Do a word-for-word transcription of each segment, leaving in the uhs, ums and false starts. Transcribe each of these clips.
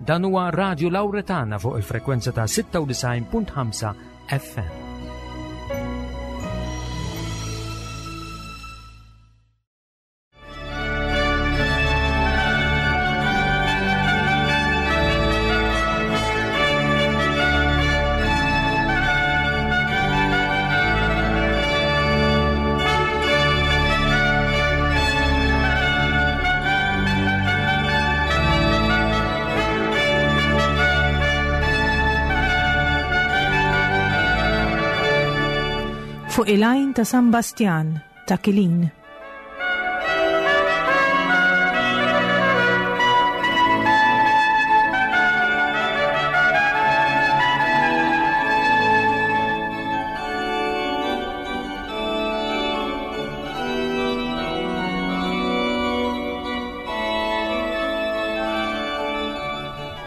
Dan huwa Radio Lauretana fuq il-frekwenza ta' sitta u disgħin punt ħamsa F M. Fuq il-għajn ta' San Bastjan ta' Kilin.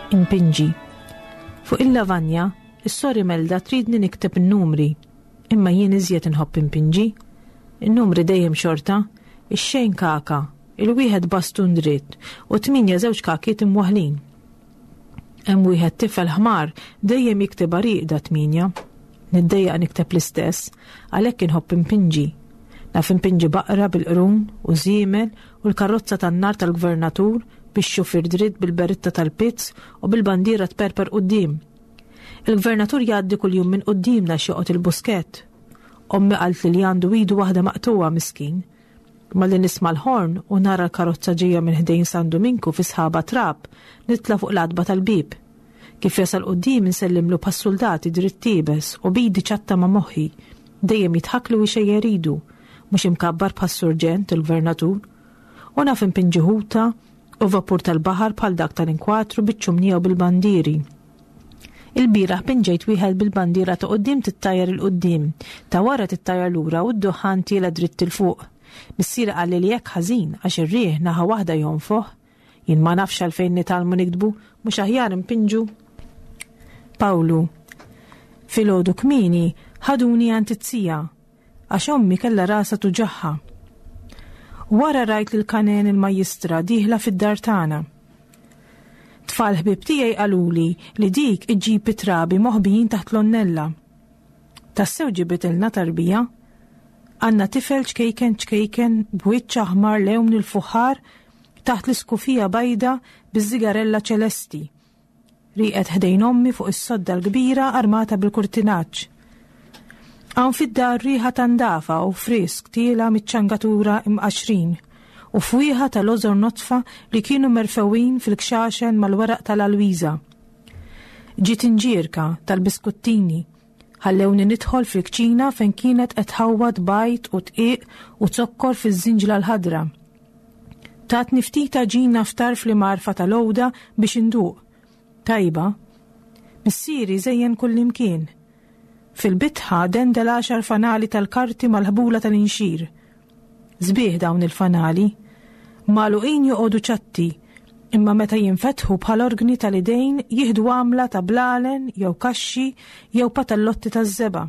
Impinġi. Fuq il-lavanja, is-sor Imelda tridni nikteb in-numri, imma jien iżjed inħobb impinġi. In-numri dejjem xorta, ix-xejn kaka, il-wieħed bastun dritt u tminja żewġ kakiet imwaħlin. Hemm wieħed tifel ħmar dejjem jikteb rieqda tminja. Niddejjaq nikteb l-istess, għalhekk inħobb impinġi. Naf impinġi baqra bil-qrun u żiemel u l-karozza tan-nar tal-gvernatur bix-xufier dritt bil-beritta tal-pizz u bil-bandiera tperper quddiem. Il-gvernatur jgħaddi kuljum minn quddiemna joqgħod il-Buskett. Ommi qalt li għandu idu waħda maqtuwa, miskin. Malli nisma' l-ħorn u nara l-karozza ġejja minn ħdejn San Dominku fi sħaba trab, nitla' fuq l-għatba tal-bib. Kif jasal quddiem insellimlu bħas-soldati, dritt iebes u b'idi ċatta ma' moħħi. Dejjem jidħakli u jxejjer idu, mhux imkabbar bħas-surġent il-gvernatur. U naf impinġi ħuta u vapur tal-baħar bħal dak tal-inkwatru biċ-ċumnija u bil-bandiri. Il-bieraħ pinġejt wieħed bil-bandiera ta' quddiem tittajjar 'il quddiem, ta' wara tittajjar lura u d-duħan tiela' dritt 'il fuq. Missieri qalli li hekk ħażin għax ir-riħ naħa waħda jonfoħ. Jien ma nafx għalfejn nitgħallmu niktbu, mhux aħjar impinġu. Pawlu. Filgħodu kmieni ħaduni għand iz-zija għax ommi kellha rasha tuġagħha. Wara rajt lil Kanen il-majjistra dieħla fid-dar tagħna. Tfal ħbib tiegħi qaluli li dik iġġib it-trabi moħbijin taħt l-onnella. Tassew ġibitilna tarbija. Għandna tifel ċkejken ċkejken b'wiċċ aħmar lewn il-fuħar taħt l-iskufija bajda biż-żigarella ċelesti. Rieqed ħdejn ommi fuq is-sodda l-kbira armata bil-kurtinaġġ. Hawn fid-dar riħa ta' ndafa u frisk tiela' miċ-ċangaturi imqaxrin u fwieħa tal-lożor nodfa li kienu merfewin fil-kxaxen mal-weraq tal-alwiża. Ġiet inġirka tal-biskuttini, ħallewni nidħol fil-kċina fejn kienet qed tħawwad bajd u dqiq u zokkor fiż-żinġla l-ħadra. Tatni ftit għaġina f'tarf l-imgħarfa tal-għuda biex induq. Tajba. Missieri żejjen kullimkien. Fil-bitħa dendel għaxar fanali tal-karti mal-ħbula tal-inxir. Sbieħ dawn il-fanali. Magħluqin joqogħdu ċatti, imma meta jinfetħu bħal organi tal-idejn jieħdu għamla ta' blalen jew kaxxi jew patallotti taż-żebgħa.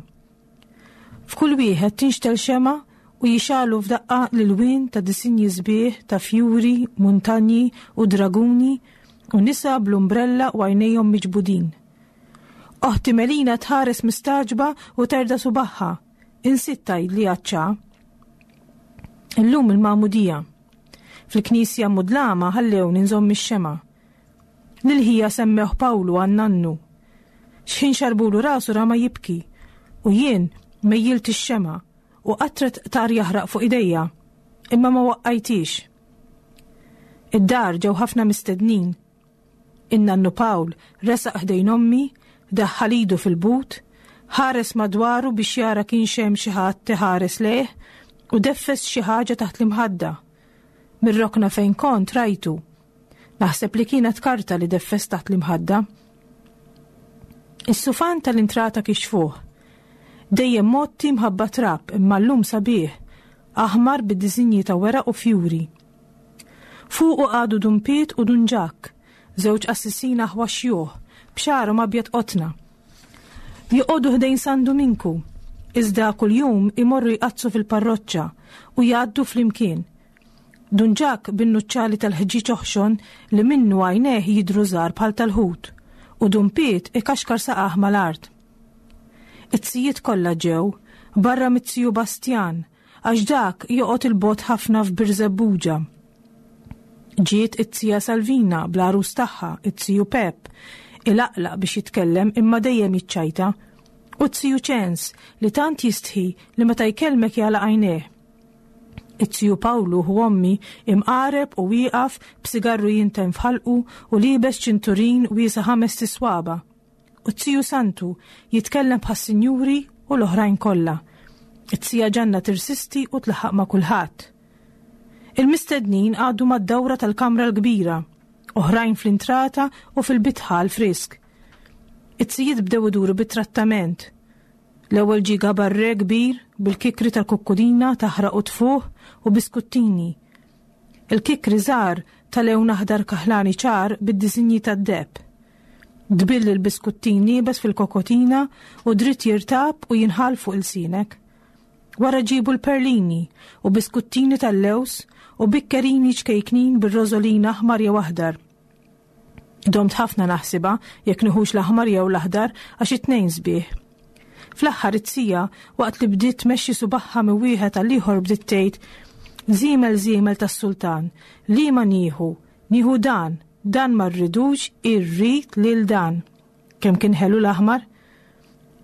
F'kull wieħed tinxtegħel xemgħa u jixegħlu f'daqqa l-ilwien ta' disinji sbieħ ta' fjuri, muntanji u draguni u nisa bl-umbrella u għajnejhom miġbudin. Oħti Melina tħares mistagħġba u terda subagħha. Insiet tgħidli għaċ-ċà. Illum il-magħmudija. Fil-knisja mudlama ħallewni nżomm ix-xemgħa. Lil ħija semmewh Pawlu għan-nannu. Xħin xarbulu rasu rama jibki u jien mejjilt ix-xemgħa u qatret tar jaħraq fuq idejja, imma ma waqqajtix. Id-dar ġew ħafna mistednin. In-nannu Pawl resaq ħdejn ommi, daħħal idu fil-but, ħares madwaru biex jara kienx hemm xi ħadd iħares lejh u deffes xi ħaġa taħt l-imħadda. Mir-rokna fejn kont rajtu. Naħseb li kienet karta li deffes taħt l-imħadda. Is-sufan tal-intrata kixfuh. Dejjem mgħotti mħabba trab, imma llum sabiħ, aħmar bid-disinji ta' weraq u fjuri. Fuqu qagħdu Dun Piet u Dun Ġakk, żewġ qassisin aħwa xjuħ, b'xagħarhom abjad qotna. Joqogħdu ħdejn San Duminku, iżda kuljum imorru jqaddsu fil-parroċċa u jgħaddu flimkien. Dun Ġakk bin-nuċċali tal-ħġieġ oħxon li minnu għajnejh jidhru żgħar bħal tal-ħut u Dun Piet ikaxkar saqajh mal-art. It-tzijiet kollha ġew, barra mit-ziju Bastjan, għax dak joqgħod 'il bogħod ħafna f'Birżebbuġa. Ġiet it-tija Salvina bl-għarus tagħha, it-tiju Pep, ilaqlaq biex jitkellem imma dejjem jiċċajta, u t-tiju Ċens li tant jistħi li meta jkellmek jagħlaq għajnejh. It-tiju Pawlu ħu ommi imqareb u wieqaf b'sigarru jinten f'ħalqu u liebes ċinturin wiesa' ħamest iswaba'. U t-tiju Santu jitkellem bħas-sinjuri u l-oħrajn kollha. It-tija Ġanna tirsisti u tlaħħaq ma' kulħadd. Il-mistednin għadu mad-dawra tal-kamra l-kbira, oħrajn fl-intrata u fil-bitħa l-frisk. It-tzijiet bdew iduru bit-trattament. L-ewwel ġie gabarre kbir bil-kikri tal-kukkudina taħraq u tfuħ u biskuttini. Il-kikri żgħar tal-lewn aħdar kaħlani ċar bid-disinji tad-deheb. Tbill il-biskuttin iebes fil-kokotina u dritt jirtab u jinħall fuq ilsienek. Wara ġibu l-perlini u biskuttini tal-lews u bikkerini ċkejknin bir-rożolin aħmar jew aħdar. Domt ħafna naħsibha jekk nieħux l-aħmar jew l-aħdar għax it-tnejn sbieħ. Fl-aħħar it-tija waqt li bdiet tmexxi subagħha minn wieħed għal ieħor bdiet tgħid Żiemel żiemel tas-sultan, liema nieħu, nieħu dan, dan ma rridux, irrid lil dan. Kemm kien ħelu l-aħmar?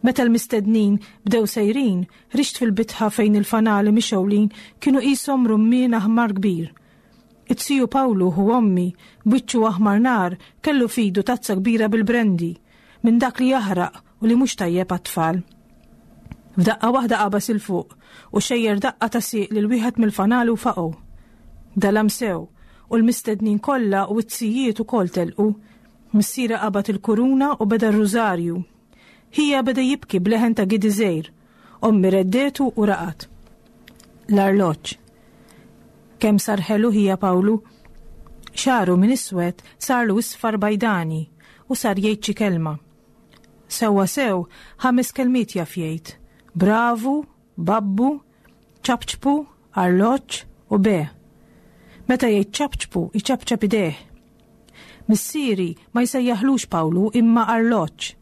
Meta l-mistednin bdew sejrin, ħriġt fil-bitħa fejn il-fanali mixgħulin kienu qishom rummien aħmar kbir. It-tiju Pawlu ħu ommi, b'wiċċu aħmar nar, kellu f'idu tazza kbira bil-brandy, minn dak li jaħraq u li mhux tajjeb għat-tfal. F'daqqa waħda qabas 'il fuq u xejjer daqqa ta' sieq lil wieħed mill-fanali u faqgħu. Dalam sew u l-mistednin kollha u t-tzijiet ukoll telqu. Missieri qabad il-kuruna u beda r-rużarju. Ħija beda jibki b'leħen ta' gidi żgħir. Ommi reddetu u raqad. L-arloġġ. Kemm sar ħelu ħija Pawlu? Xagħru minn iswed sarlu isfar bajdani u sar jgħid xi kelma. Sewwa sew ħames kelmiet jaf jgħid. Bravu, babbu, ċapċpu, arloġġ u be. Meta jgħid ċapċpu, iċapċap idejh. Missieri ma jsejjaħlux Pawlu imma arloġġ.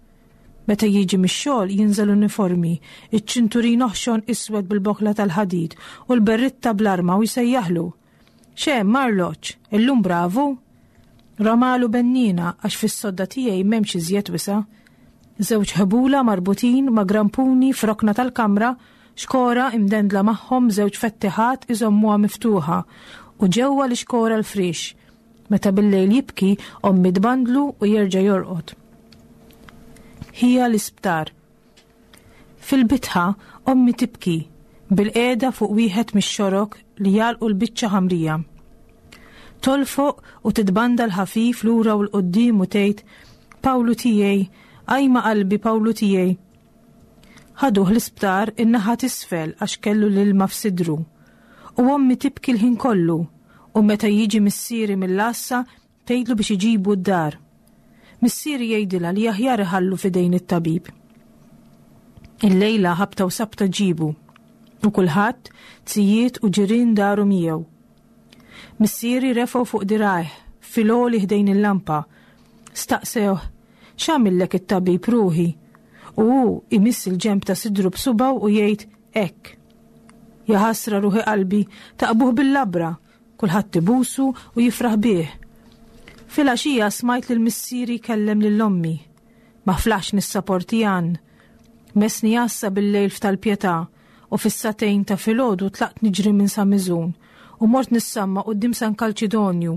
Meta jiġi mix-xogħol jinżel uniformi, iċ-ċinturin oħxon iswed bil-bokla tal-ħadid u l-berritta bl-arma u jsejjaħlu. X'hemm arloġġ, illum bravu? Ramalu bennina għax fis-sodda tiegħi m'hemmx iżjed wisa'. Żewġ ħbula marbutin ma' grampuni f'rokna tal-kamra, xkora imdendla magħhom żewġ fettiħat iżommuha miftuħa u ġewwa l-ixkora l-frix. Meta bil-lejl jibki, ommi tbandlu u jerġa' jorqod. Ħija l-isptar. Fil-bitħa, ommi tibki, bil-qiegħda fuq wieħed mix-xorok li jagħlqu l-biċċa ħamrija. Tolfoq u titbanda l-ħafif lura u l-qoddim u tgħid, Pawlu tiegħi, ajma qalbi Pawlu tiegħi. Ħaduh l-isptar in-naħa t'isfel għax kellu l-ilma f'sidru. U ommi tibki l-ħin kollu u meta jiġi missieri mill-għassa tgħidlu biex iġibu d-dar. Missieri jgħidilha li aħjar iħallu f'idejn it-tabib. Illejla ħabta u sabta ġibu u kulħadd tzijiet u ġirien daru miegħu. Missieri refgħu fuq dirgħajh fil-għoli ħdejn il-lampa. Staqsewh, x'għamillek it-tabib ruħi? U hu imiss il-ġenb ta' sidru b'subgħu u jgħid hekk. Ja ħasra ruħi qalbi, taqbuh bil-labra, kulħadd ibusu u jifraħ bih. Filgħaxija smajt lil missieri jkellem lil ommi. Ma flaħx nissaporti għan. Mesni għassa bil-lejl f'tal-Pietà u fis-sagħtejn ta' filgħodu tlaqt niġri minn Sa Miżun u mort nissamma quddiem San Kalċidonju.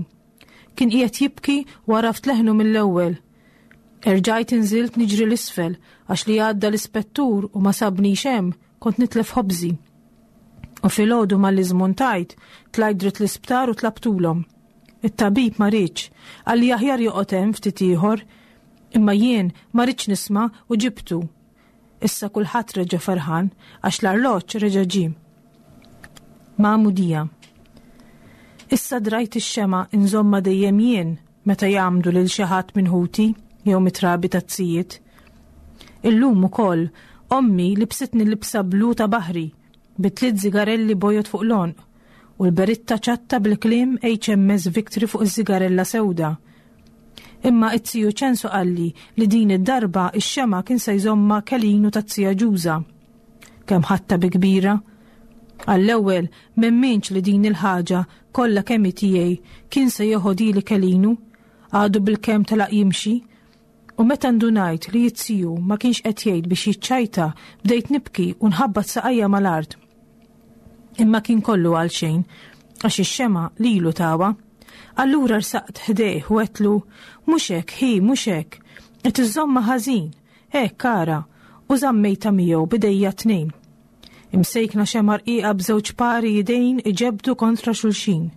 Kien qiegħed jibki u għaraft leħnu mill-ewwel. Erġajt inżilt niġri l-isfel għax li għadda l-ispettur u ma sabnix hemm kont nitlef ħobżi. U filgħodu malli żmuntajt, tlajt dritt l-isptar u tlabtulhom. It-tabib ma riedx, qalli aħjar joqgħod hemm ftit ieħor, imma jien ma ridtx nisma' u ġibtu. Issa kulħadd reġa' ferħan għax l-arloġġ reġa' ġie. Magħmudija. Issa drajt ix-xema inżomma dejjem jien meta jgħammdu lil xi ħadd minn ħuti jew mitrabi tazzijiet. Illum ukoll ommi libsitni libsa blu ta' baħri bi tliet zigarelli bojod fuq l-għonq u l-beritta ċatta bil-kliem H M S Victory fuq iż-żigarella sewda. Imma it-ziju Ċensu qalli li din id-darba ix-xema kien se jżommha Kelinu taz-zija Ġuża. Kemm ħadtha bi kbira! Għall-ewwel m'emminx li din il-ħaġa kollha kemm tiegħi kien se jeħodhieli Kelinu, għadu bil-kemm telaq jimxi. U meta ndunajt li iz-ziju ma kienx qed jgħid biex jiċċajta, bdejt nibki u nħabbat saqajja mal-art. Imma kien kollu għal xejn, għax ix-xema lilu tawha. Allura rsaqt ħdejh u għedtlu, "Mhux hekk, ħi, mhux hekk, qed iżżommha ħażin, hekk ara," u żammejtha miegħu b'idejja tnejn. Imsejkna xema rqiqa b'żewġ pari idejn iġebdu kontra xulxin.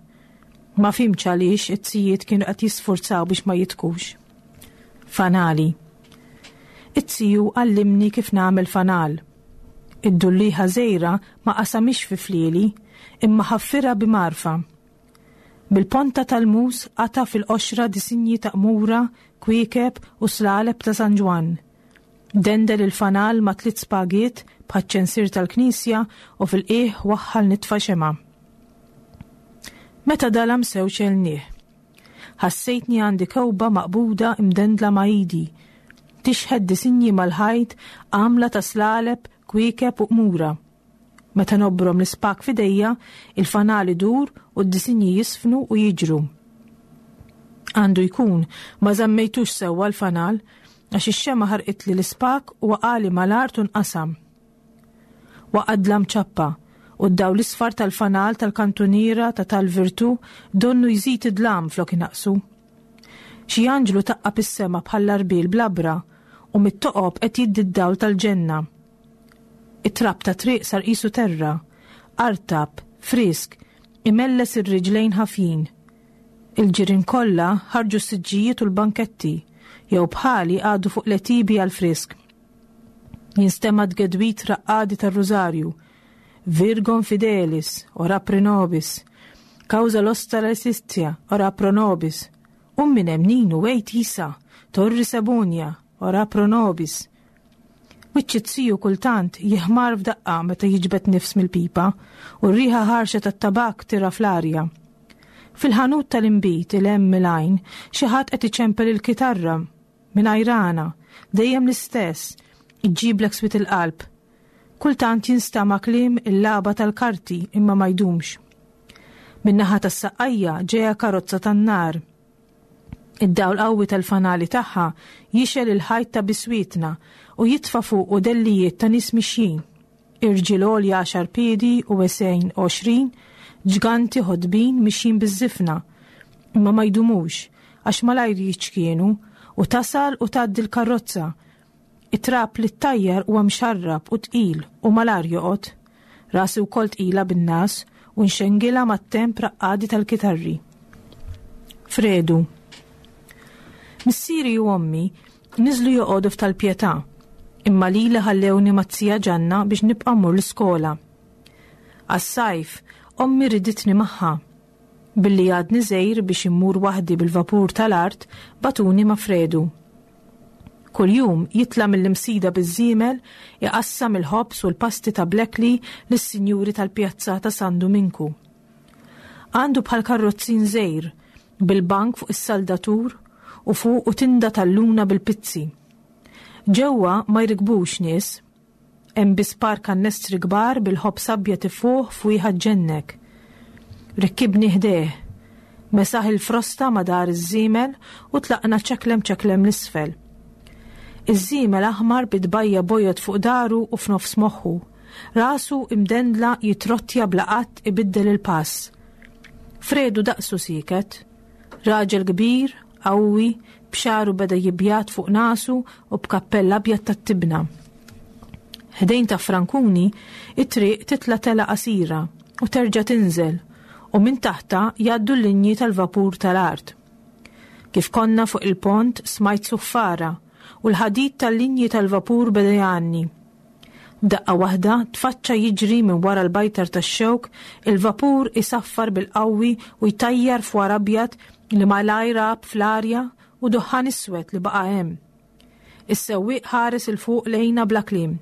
Ma fhimtx għaliex it-zijiet kienu qed jisfurzaw biex ma jidħkux. Fanali. It-ziju għallimni kif nagħmel fanal. Id-dulliħa żgħira ma qasamhiex fi flieli, imma ħaffirha bi mgħarfa. Bil-ponta tal-mus qata' fil-qoxra disinji ta' qmura, kwiekeb u slaleb ta' San Ġwann. Dendel il-fanal ma' tliet spagiet bħaċ-ċensir tal-knisja u fil-qiegħ waħħal nitfa xema. Meta dalam sew xgħelnieh. Ħassejtni għandi kewba maqbuda imdendla ma' idi. Tixħet disinji mal-ħajt għamla ta' slaleb, kwiekeb u qmura. Meta nobrom l-ispag f'idejja, il-fanal idur u d-disinji jisfnu u jiġru. Għandu jkun ma żammejtux sewwa l-fanal, għax ix-xema ħarqitli l-ispag u waqagħli mal-art u nqasam. Waqa' dlam ċappa u d-dawl l-isfar tal-fanal tal-kantuniera ta' Tal-Virtu donnu jżid id-dlam flok inaqsu. Xi anġlu taqqab is-sema bħall-arbil bl-għabra u mit-toqob qed jiddi d-dawl tal-ġenna. It-trab tat-triq sar qisu terra, artab, frisk, imelles ir-riġlejn ħafjin. Il-ġirien kollha ħarġu s-siġġijiet u l-banketti, jew bħali għadu fuq l-għetiebi għal-frisk. Jinstema' tgedwid raqqadi tar-rużarju. "Virgo fidelis, ora pro nobis. Causa nostra laetitia, ora pro nobis." U minn hemm Ninu wejt jisa, "Turris eburnea, ora pro nobis." Wiċċ iz-ziju kultant jiħmar f'daqqa meta jiġbed nifs mill-pipa u r-riħa ħarxa tat-tabak tirgħa fl-arja. Fil-ħanut tal-inbid 'il hemm mill-għajn xi ħadd qed iċempel il-kitarra minn ajrana, dejjem l-istess, iġġiblek swied il-qalb. Kultant jinstama kliem il-lagħba tal-karti, imma ma jdumx. Min-naħa tas-Saqqajja ġeja karozza tan-nar. Id-dawl qawwi tal-fanali tagħha jixgħel il-ħajt ta' biswitna u jitfa' fuqu dellijiet ta' nies mixjin. Irġiel għolja għaxar piedi u wesgħin għoxrin, ġganti ħodbin mixjin biż-żifna. Imma ma jdumux, għax malajr jiċkienu u tasal u tgħaddi l-karozza. It-trab li ttajjar huwa mxarrab u tqil u malajr joqgħod. Rasi wkoll tqila bin-ngħas u nxengilha mat-temp raqqadi tal-kitarri. Fredu. Missieri u ommi niżlu joqogħdu f'Tal-Pietà, imma lili ħallewni maz-zija Ġanna biex nibqa' mmur l-iskola. Għas-sajf, ommi riditni magħha. Billi għadni żgħir biex immur waħdi bil-vapur tal-art, bagħtuni ma' Fredu. Kuljum jitla' mill-Imsida biż-żiemel iqassam il-ħobż u l-pasti ta' Blackley lis-sinjuri tal-pjazza ta' San Duminku. Għandu bħal karrozzin żgħir bil-bank fuq is-saldatur u fuq u tinda tal-luna bil-pizzi. Ġewwa ma jirkbux nies, hemm biss par kannestri kbar bil-ħobż abjad ifuħ fwieħa ġġennek. Rekkibni ħdejh, mesaħ il-frosta ma' dahar iż-żiemel u tlaqna ċeklem ċeklem 'l isfel. Iż-żiemel aħmar bit-tbajja' bojod fuq dahru u f'nofs moħħu. Rasu imdendla jitrottja bla qatt ibiddel il-pass. Fredu daqsu sieket. Raġel kbir, qawwi, b'xagħru beda jibjad fuq nasu u b'kappell abjad tat-tibna. Ħdejn ta' Frankuni, it-triq titla' telgħa qasira u terġa' tinżel u minn taħtha jgħaddu l-linji tal-vapur tal-art. Kif konna fuq il-pont smajt suffara u l-ħadid tal-linji tal-vapur beda jgħanni. Daqqa waħda tfaċċa jiġri minn wara l-bajtar tax-xewk il-vapur isaffar bil-qawwi u jtajjar fwar abjad li malajr għab fl-arja u duħħan iswed li baqa' hemm. Is-sewwieq ħares 'il fuq lejna bla kliem.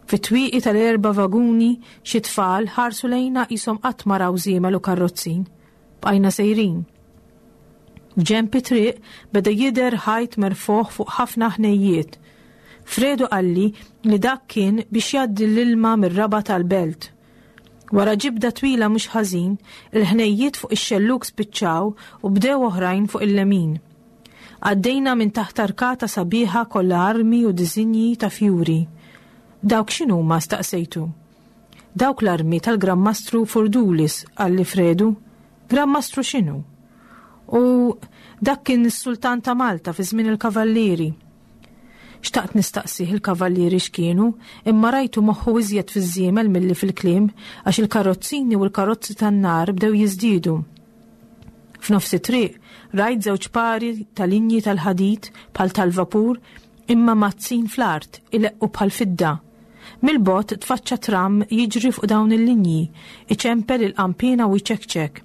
Fit-twieqi tal-erba' vaguni xi tfal ħarsu lejna qishom qatt ma raw żiemel u karrozzin. Bqajna sejrin. F'ġenb it-triq beda jidher ħajt merfugħ fuq ħafna ħnejjiet. Fredu qalli li dak kien biex jgħaddi l-ilma mir-raba' tal-belt. Wara ġibda twila mhux ħażin, il-ħnejjiet fuq ix-xellug spiċċaw u bdew oħrajn fuq il-lemin. Għaddejna minn taħt arkata sabiħa kollha armi u disinji ta' fjuri. Dawk x'inhuma staqsejtu? Dawk l-armi tal-Gran Mastru Furdulis, qalli Fredu. Gran Mastru x'inhu? U dak kien is-sultan ta' Malta fi żmien il-Kavallieri. Xtaqt nistaqsih il-kavallieri x'kienu, imma rajtu moħħu iżjed fiż-żiemel milli fil-kliem għax il-karozzini u l-karozzi tan-nar bdew jiżdiedu. F'nofs it-triq rajt żewġ pari ta' linji tal-ħadid bħal tal-vapur imma mazzin fl-art ileqqu bħal fidda. Mill-bogħod tfaċċa tram jiġri fuq dawn il-linji, iċempel il-qanpiena u jċekċek.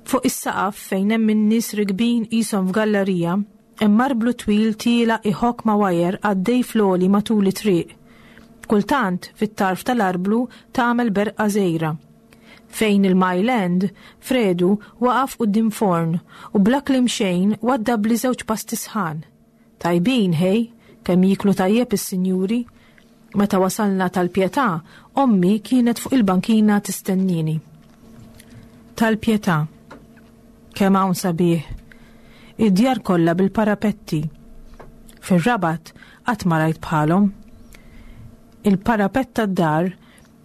Fuq is-saqaf fejn hemm in-nies rikbin qishom f'gallerija, hemm arblu twil tiela' iħokk ma' wajer għaddej fl-għoli matul it-triq. Kultant fit-tarf tal-arblu tagħmel berqa żgħira. Fejn il-Mile End, Fredu waqaf quddiem forn u bla kliem xejn waddabli żewġ pasti sħan. Tajbin, ħej, kemm jieklu tajjeb is-sinjuri. Meta wasalna tal-Pietà, ommi kienet fuq il-bankina tistennini. Tal-Pietà. Kemm hawn sabiħ. Id-djar kollha bil-parapetti. Fir-Rabat qatt ma rajt bħalhom. Il-parapett tad-dar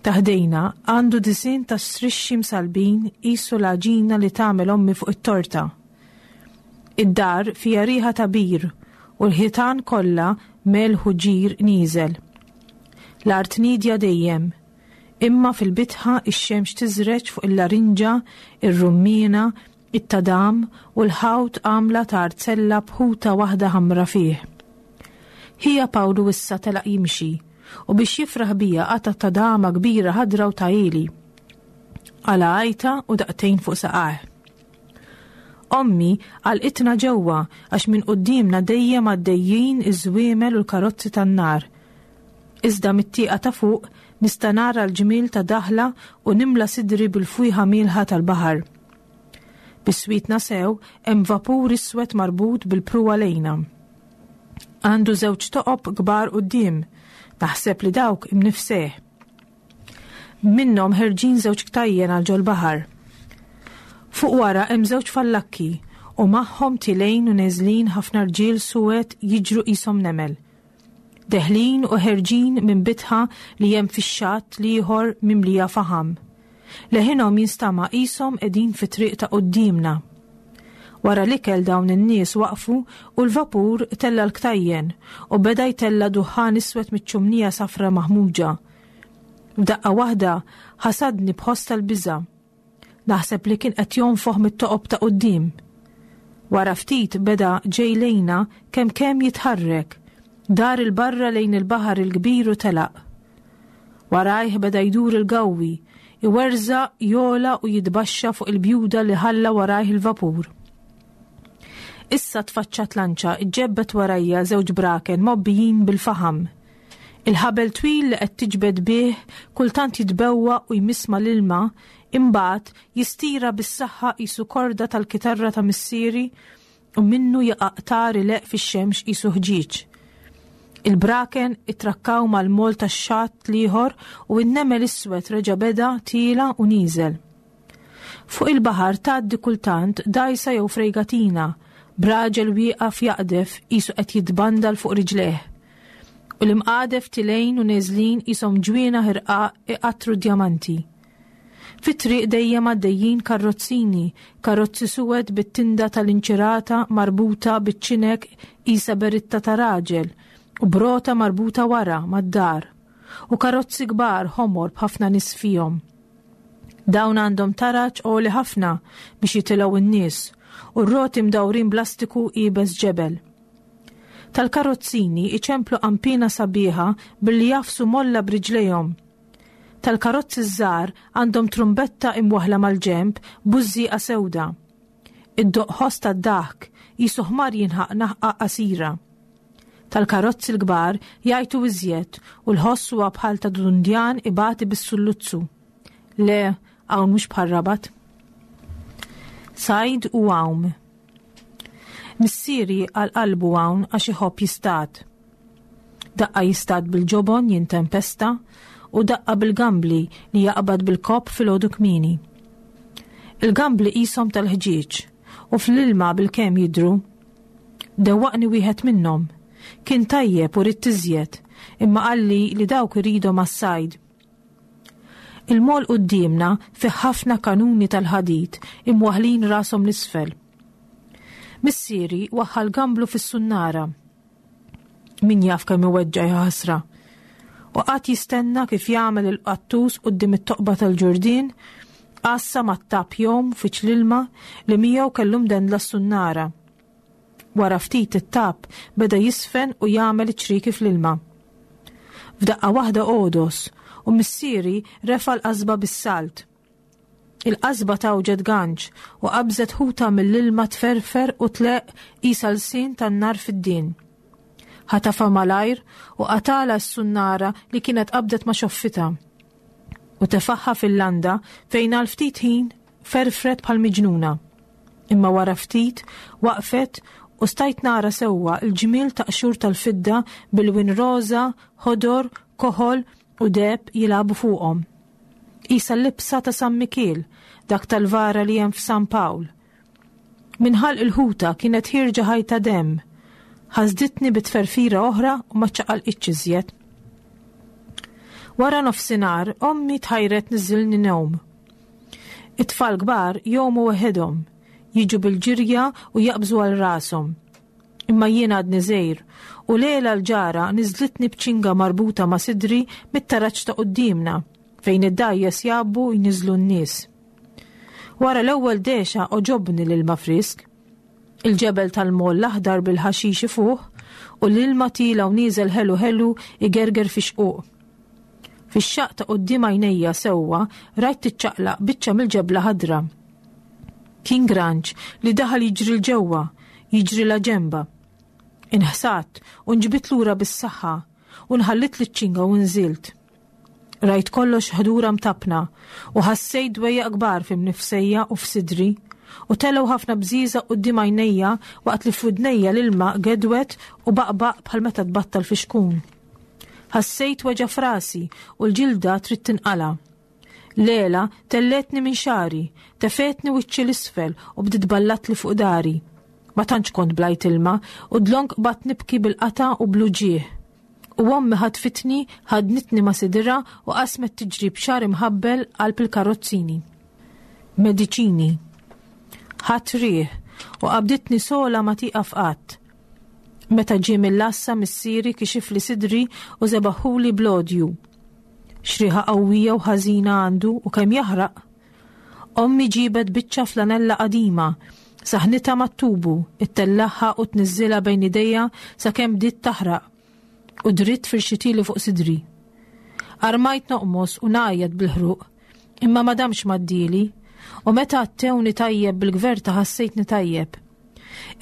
ta' ħdejna għandu disinn ta' strixxi msalbin qisu l-għaġina li tagħmel ommi fuq it-torta. Id-dar fiha riħa ta' bir u l-ħitan kollha melħ u ġir nieżel. L-art nidja dejjem, imma fil-bitħa ix-xemx tiżreġ fuq il-larinġa, ir-rummiena, it-tadam u l-ħawt għamla ta' arzella b'ħuta waħda ħamra fih. Ħija Pawlu issa telaq jimxi u biex jifraħ bija qata' tadama kbira ħadra u tajili. Għala għajta u daqtejn fuq saqajh. Ommi għalqitna ġewwa għax minn quddiemna dejjem għaddejjin iż-żwiemel u l-karozzi tan-nar. Iżda mit-tieqa ta' fuq nista' nara l-ġmiel ta' daħla u nimla sidri bil-fwieħa mielħa tal-baħar. Biswitna sew hemm vapur iswed marbut bil-pruwa lejna. Għandu żewġ toqob kbar quddiem, naħseb li dawk imnifseh. Minnhom ħerġin żewġ ktajjen għal ġol-baħar. Fuq wara hemm żewġ fallakki u magħhom tilejn u neżlin ħafna rġiel suwed jiġru qishom nemel. Deħlin u ħerġin minn bitħa li hemm fix-xatt l-ieħor mimlija faħam. Leħinhom jinstama' qishom qegħdin fit-triq ta' quddiemna. Wara l-ikel dawn in-nies waqfu u l-vapur tella l-ktajjen u beda jtella duħħan iswed miċ-ċumnija safra maħmuġa. F'daqqa waħda ħasadni b'ħoss tal-biża'. Naħseb li kien qed jonfoħ mit-toqob ta' quddiem. Wara ftit beda ġej lejna kemm kemm jitħarrek, dar il-barra lejn il-baħar il-kbir u telaq. Warajh beda jdur il-gawwi, iwerżaq, jola u jitbaxxa fuq il-bjuda li ħalla warajh il-vapur. Issa tfaċċat lanċa ġġebbed warajja żewġ braken mobbijin bil-faħam. Il-ħabel twil li qed tiġbed bih kultant jitbewwa u jmiss mal-ilma, imbagħad jistira bis-saħħa qisu korda tal-kitarra ta' missieri u minnu jaqa' qtar ileqq fix-xemx qisu ħġieġ. Il-braken itrakkaw mal-mol tax-xatt l-ieħor u n-nemel iswed reġa' beda tiela u nieżel. Fuq il-baħar tgħaddi kultant dgħajsa jew frejgatina, b'raġel wieqaf jaqdef qisu qed jitbandal fuq riġlejh. U l-imqadef tilejn u neżlin qishom ġwienaħ irqaq iqattru djamanti. Fit-triq dejjem għaddejjin karrozzini, karozzi suwed bit-tinda tal-inċirata marbuta biċ-ċinek qisha beritta ta' raġel u brota marbuta wara mad-dar, u karozzi kbar ħomor b'ħafna nies fihom. Dawn għandhom taraġ għoli ħafna biex jitilgħu n-nies u r-roti mdawrin blastiku iebes ġebel. Tal-karozzini iċemplu qanpiena sabiħa billi jafsu molla b'riġlejhom. Tal-karozzi żgħar għandhom trumbetta imwaħla mal-ġenb bużżieqa sewda. Id-doq ħoss tad-daħk qisu ħmar jinħaq naħqa qasira. Tal-karozzi l-kbar jgħajtu iżjed u l-ħoss huwa bħal ta' dundjan ibati bis-sulluzzu. Le, hawn mhux bħal Rabat. Sajd u għawm. Missieri għal qalbu hawn għax iħobb jistad. Daqqa jistad bil-ġobon jintempesta u daqqa bil-gambli li jaqbad bil-kopp fil-għodu kmieni. Il-gambli qishom tal-ħġieġ u fl-ilma bil-kemm jidhru. Dewwaqni wieħed minnhom. Kien tajjeb u ridt iżjed, imma qalli li dawk iridhom għas-sajd. Il-mol quddiemna fih ħafna kanuni tal-ħadid imwaħħlin rashom l-isfel. Missieri waħħal gamblu fis-sunnara. Min jaf kemm iweġġa' ħasra. U qagħad jistenna kif jagħmel il-qattus quddiem it-toqba tal-ġurdien, għassa mat-tap jom fiċ l-ilma li miegħu kellu mdendla s-sunnara. Wara ftit it-tap beda jisfen u jagħmel ċriki fl-ilma. F'daqqa waħda għodos u missieri refa' l-qasba bis-salt. Il-qasba tawġet ganċ u qabżet ħuta mill-ilma tferfer u tleq qisha lsien tan-nar fid-din. Ħatafa malajr u qatala s-sunnara li kienet qabdet ma' xoffita. U tefaħħa fil-landa fejn għal ftit ħin ferfret bħal miġnuna. Imma wara ftit waqfet u stajt nara sewwa l-ġmiel ta' qxur tal-fidda bil-win roża, ħodor, koħol u deheb jilagħbu fuqhom. Qisha l-libsa ta' San Mikiel, dak tal-vara li hemm f'San Pawl. Minn ħalq il-ħuta kienet ħierġa ħajta demm. Ħasditni bitferfira oħra u ma ċaqalqitx iżjed. Wara nofsinhar ommi tħajret niżilni newm. It-tfal kbar jgħumu weħidhom, jiġu bil-ġirja u jaqbżu għal rashom. Imma jien għadni żgħir u Lela l-ġara niżlitni b'ċinga marbuta ma' sidri mit-taraġ ta' quddiemna fejn id-dgħajjes jgħabbu jniżlu n-nies. Wara l-ewwel dexa oġobni l-ilma frisk. Il-ġebel tal-moll l-aħdar bil-ħaxix ifuħ u l-ilma tila u nieżel ħelu ħelu igerger fi xquq. Fix-xaqq ta' quddiem għajnejja sewwa rajt tiċċaqlaq biċċa mill-ġebla ħadra. Kien granċ li daħal jiġri l-ġewwa, jiġri la ġemba. Inħsat u nġbit lura bis-saħħa u nħallit liċ-ċinga u nżilt. Rajt kollox ħdura mtapna u ħassejt dwejjaq kbar fi mnifsejja u f'sidri u telgħu ħafna bżieżaq quddiem għajnejja waqt li f'widnejja l-ilma gedwet u baqbaq bħal meta tbattal fi xkun. Ħassejt weġgħa f'rasi u l-ġilda trid tinqala. Lela telletni minn xari, tefetni wiċċi l-isfel u bdiet ballatli fuq dari. Ma tantx kont blajt ilma u dlonk bat nibki bil-qata u bluġieħ. U ommi ħatfitni, ħadnitni ma' sidira u qasmet tiġri b'xar imħabbel qalb il-karozzini. Mediċini. Ħadt riħ u qabditni sola ma tieqaf qatt. Meta ġie mill-għassa missieri kixifli sidri u żebaħuli blodju. Xriħa qawwija u ħażina għandu u kemm jaħraq. Ommi ġibet biċċa flanella qadima, saħnitha mat-tubu, ittellaħħa u tniżżilha bejn idejja sakemm bdiet taħraq u dritt firxitili fuq sidri. Armajt noqmos u ngħajjat bil-ħruq, imma ma damx maddili, u meta għattewni tajjeb bil-gverta ħassejtni tajjeb.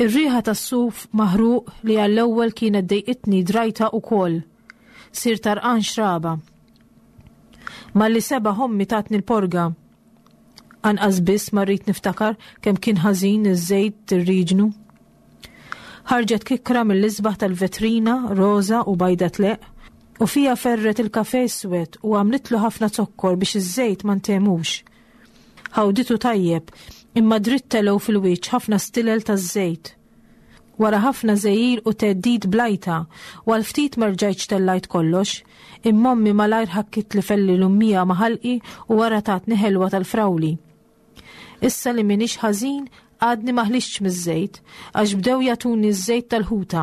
Ir-riħa tas-suf maħruq li għall-ewwel kienet dejqitni drajta ukoll. Sir tarqan xraba. Malli seba' ommi tatni l-porga. Anqas biss ma rrid niftakar kemm kien ħażin iż-żejt tir-riġnu. Ħarġet kikra mill-isbaħ tal-vetrina, roża u bajda tleq, u fija ferret il-kafe iswed u għamlitlu ħafna zokkor biex iż-żejt ma ntemux. Ħawditu tajjeb, imma dritt telgħu fil-wiċċ ħafna stilel taż-żejt. Wara ħafna żejjir u theddid blajta, u għal ftit ma rġajtx tellajt kollox, imma ommi malajr ħakkit li felli l-ummija ma' ħalqi u wara tatni ħelwa tal-frawli. Issa li minix ħażin, għadni ma ħlixtx miż-żejt, għax bdew jagħtuni ż-żejt tal-ħuta.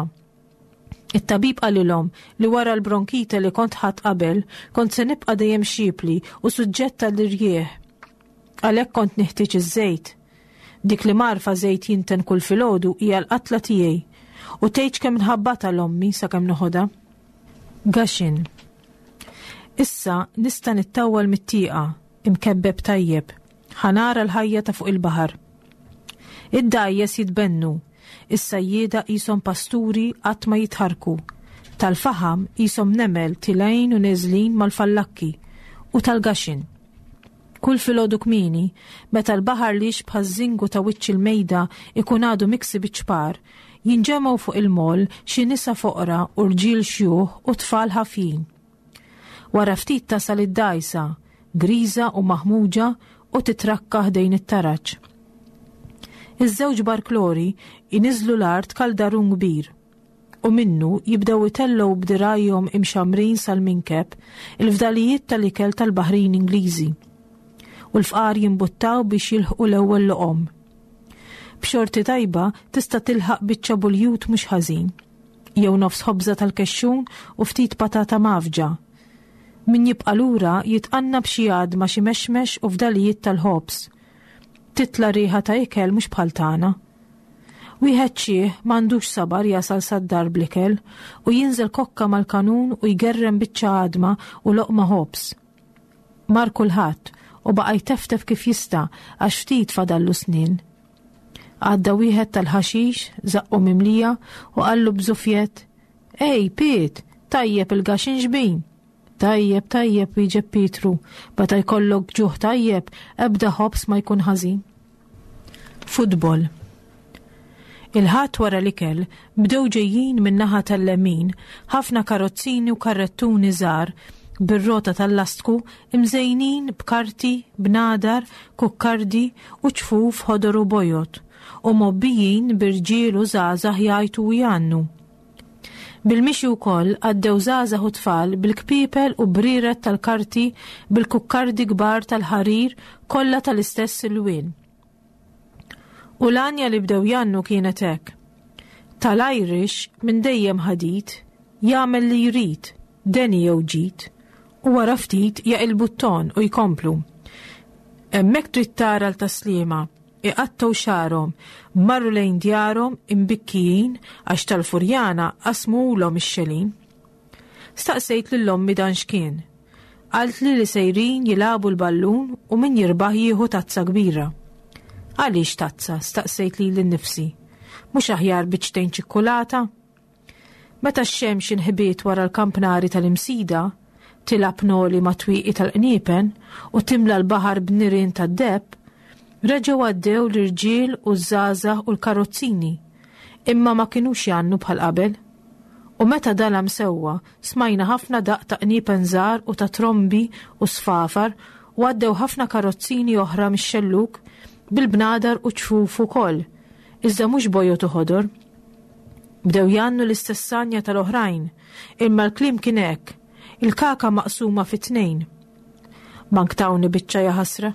It-tabib qalilhom li wara l-bronkite li kont ħadd qabel, kont se nibqa' dejjem xipli u suġġett tal-irjieħ. Għalhekk kont neħtieġ iż-żejt. Dik li marfa żejt jinten kull filgħodu hija l-qatla tiegħi u tgħidx kemm nħabbata l-ommi sakemm noħodha. Gaxin. Issa nista' nittawwal mit-tieqa imkebbeb tajjeb, ħanara l-ħajja ta' fuq il-baħar. Id-dgħajjes jitbennu, Is-sajjieda qishom pasturi qatt ma jitħarku. Tal-faħam qishom nemel tilgħin u neżlin mal-fallakki u tal-gaxin. Kull filgħodu kmieni, meta l-baħar li jixbah iż-żingu ta' wiċċ il-mejda ikun għadu miksi biċ-ċpar, jinġemgħu fuq il-moll xi nisa foqra u rġiel xjuħ u tfal ħafjin. Wara ftit tasal id-dgħajsa, griża u maħmuġa u titrakka ħdejn it-taraġ. Iż-żewġ barklori iniżlu l-art kaldarun kbir u minnu jibdew itellgħu b'dirgħajhom imxamrin sal-minkeb il-fdalijiet tal-ikel tal-baħrin Ingliżi u l-fqar jimbuttaw biex jilħqu l-ewwel loqom. B'xorti tajba tista' tilħaq biċċa buljut mhux ħażin, jew nofs ħobża tal-kexxun u ftit patata mgħaffġa. Min jibqa' lura jitqanna b'xi għadma xi mexmex u fdalijiet tal-ħobż. Titla' riħa ta' ikel mhux bħal tagħna. Wieħed xiħ m'għandux sabar jasal sad-dar bl-ikel u jinżel kokka mal-kanun u jgerrem biċċa għadma u loqma ħobż. Mar kulħadd u baqa' jteftef kif jista' għax ftit fadallu snin. Għadda wieħed tal-ħaxix, żaqqu mimlija u qallu b'żufjett, "Ej, Piet, tajjeb il-gaxin xbin." Tajjeb, tajjeb, wieġeb Pietru, meta jkollok ġuħ tajjeb, ebda ħobż ma jkun ħażin. Futbol. Il-Ħadd wara l-ikel bdew ġejjin min-naħa tal-lemin ħafna karozzini u karrettuni żgħar bir-rota tal-lastku imżejnin b'karti, bnadar, kukkardi u ċfuf ħodor u bojod u mgħobbijin b'irġiel u żgħażagħ jgħajtu u jgħannu. Bil-mixi wkoll għaddew żgħażagħ u tfal bil-kpiepel u brieret tal-karti bil-kukkardi kbar tal-ħarir kollha tal-istess ilwien. U l-għanja li bdew jgħannu kienet hekk. Tal-Irish minn dejjem ħadid, jagħmel li jrid, deni jew ġid, u wara ftit jaqilbu t-ton u jkomplu. Hemmhekk trid tara l-taslima, iqattgħu xagħarhom, marru lejn djarhom imbikkijin għax tal-Furjana qasmulhom ix-xelin. Staqsejt lil ommi dan x'kien. Qaltli li sejrin jilagħbu l-ballun u min jirbaħ jieħu tazza kbira. Għaliex tazza? Staqsejt lili nnifsi. Mhux aħjar biċċtejn ċikkulata? Meta x-xemx inħbiet wara l-kampnari tal-Imsida, tilgħab noli ma' twieqi tal-qniepen u timla l-baħar b'nirien tad-deheb, reġgħu għaddew l-irġiel u ż-żgħażagħ u l-karozzini, imma ma kinux jgħannu bħal qabel. U meta dalam sewwa, smajna ħafna daqq ta' qniepen żgħar u ta' trombi u sfafar u għaddew ħafna karozzini oħra mix-xellug bil-bnadar u ċfuf ukoll, iżda mhux bojod u ħodor. Bdew jgħannu l-istess għanja tal-oħrajn, imma l-kliem kien hekk, il-kaka maqsuma fi tnejn. Manktawni biċċa jaħasra.